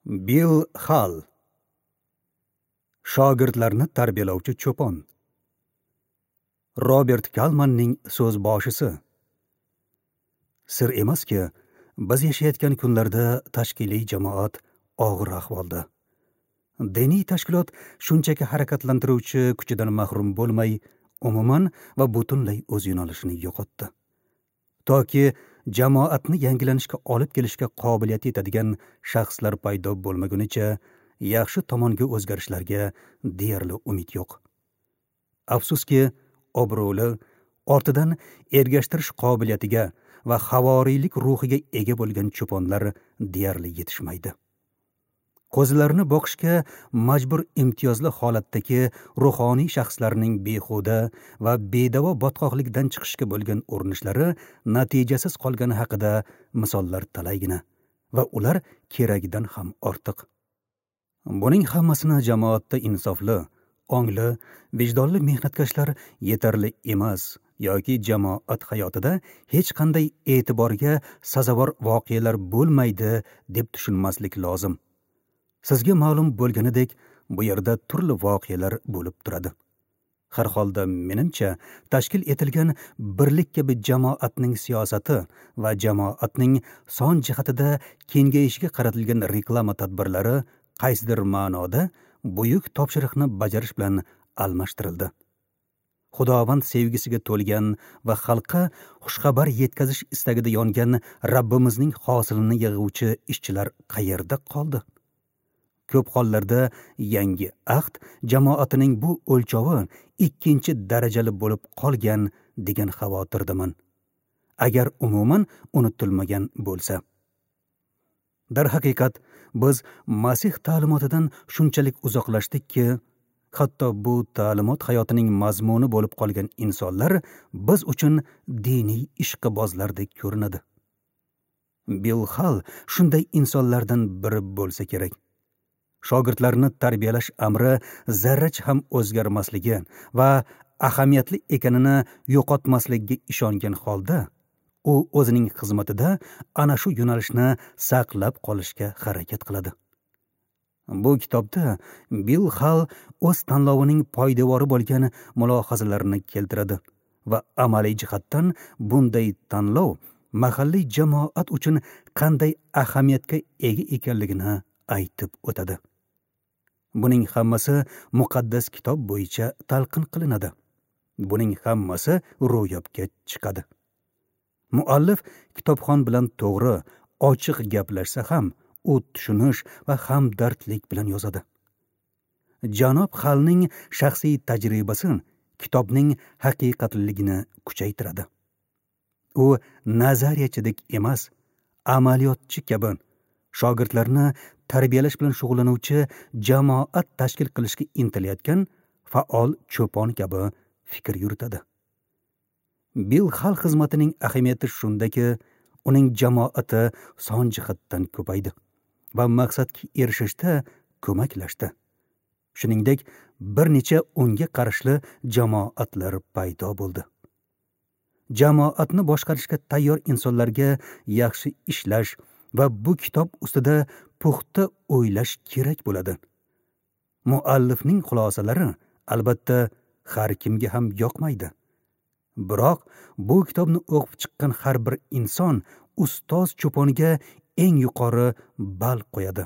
Bill Hall. Shogirdlarni tarbiyalovchi cho'pon. Robert Kalmanning so'z boshisi. Sir emaski, biz yashayotgan kunlarda tashkiliy jamoat og'ir ahvolda. Diniy tashkilot shunchaki harakatlantiruvchi kuchidan mahrum bo'lmay, umuman va butunlay o'z yo'nalishini yo'qotdi. Toki jamoatni yangilanishga olib kelishga qobiliyati yetadigan shaxslar paydo bo'lmagunicha yaxshi tomonga o'zgarishlarga deyarli umid yo'q. Afsuski, obro'li, ortidan ergashtirish qobiliyatiga va havoriylik ruhiga ega bo'lgan cho'ponlar deyarli yetishmaydi. Qo'zilarni boqishga majbur imtiyozli holatdagi ruhoniy shaxslarning behuda va bedavo botqoqlikdan chiqishga bo'lgan urinishlari natijasiz qolgani haqida misollar talaygina va ular keragidan ham ortiq. Buning hammasini jamoatda insofli, ongli, vijdonli mehnatkashlar yetarli emas yoki jamoat hayotida hech qanday e'tiborga sazovor voqealar bo'lmaydi deb tushunmaslik lozim. Sizga ma'lum bo'lganidek, bu yerda turli voqealar bo'lib turadi. Har holda menimcha, tashkil etilgan birlik kabi jamoatning siyosati va jamoatning son jihatida kengayishiga qaratilgan reklama tadbirlari qaysidir ma'noda buyuk topshiriqni bajarish bilan almashtirildi. Xudovand sevgisiga to'lgan va xalqqa xushxabar yetkazish istagida yongan Rabbimizning hosilini yig'uvchi ishchilar qayerda qoldi? Ko'p hollarda yangi ahd jamoatining bu o'lchovi ikkinchi darajali bo'lib qolgan degan xavotirdaman, agar umuman unutilmagan bo'lsa. Darhaqiqat, biz Masih ta'limotidan shunchalik uzoqlashdikki, hatto bu ta'limot hayotining mazmuni bo'lib qolgan insonlar biz uchun diniy ishqibozlardek ko'rinadi. Bill Hall shunday insonlardan biri bo'lsa kerak. Shogirdlarni tarbiyalash amri zarracha ham o'zgarmasligi va ahamiyatli ekanini yo'qotmasligiga ishongan holda, u o'zining xizmatida ana shu yo'nalishni saqlab qolishga harakat qiladi. Bu kitobda Bill Hall o'z tanlovining poydevori bo'lgan mulohazalarini keltiradi va amaliy jihatdan bunday tanlov mahalliy jamoat uchun qanday ahamiyatga ega ekanligini aytib o'tadi. Buning hammasi muqaddas kitob bo'yicha talqin qilinadi. Buning hammasi ro'yobga chiqadi. Muallif kitobxon bilan to'g'ri, ochiq gaplashsa ham, u tushunish va hamdardlik bilan yozadi. Janob Hallning shaxsiy tajribasi kitobning haqiqatligini kuchaytiradi. U nazariyachidek emas, amaliyotchi kabi shogirdlarni tarbiyalash bilan shug'ullanuvchi jamoat tashkil qilishga intilayotgan faol cho'pon kabi fikr yuritadi. Bill Hall xizmatining ahamiyati shundaki, uning jamoati son jihatdan ko'paydi va maqsadga erishishda ko'maklashdi. Shuningdek, bir necha unga qarashli jamoatlar paydo bo'ldi. Jamoatni boshqarishga tayyor insonlarga yaxshi ishlash va bu kitob ustida puxta o'ylash kerak bo'ladi. Muallifning xulosalari albatta har kimga ham yoqmaydi. Biroq bu kitobni o'qib chiqqan har bir inson ustoz cho'ponga eng yuqori ball qo'yadi.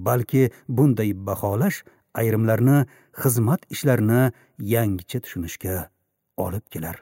Balki bunday baholash ayrimlarni xizmat ishlarini yangicha tushunishga olib kelar.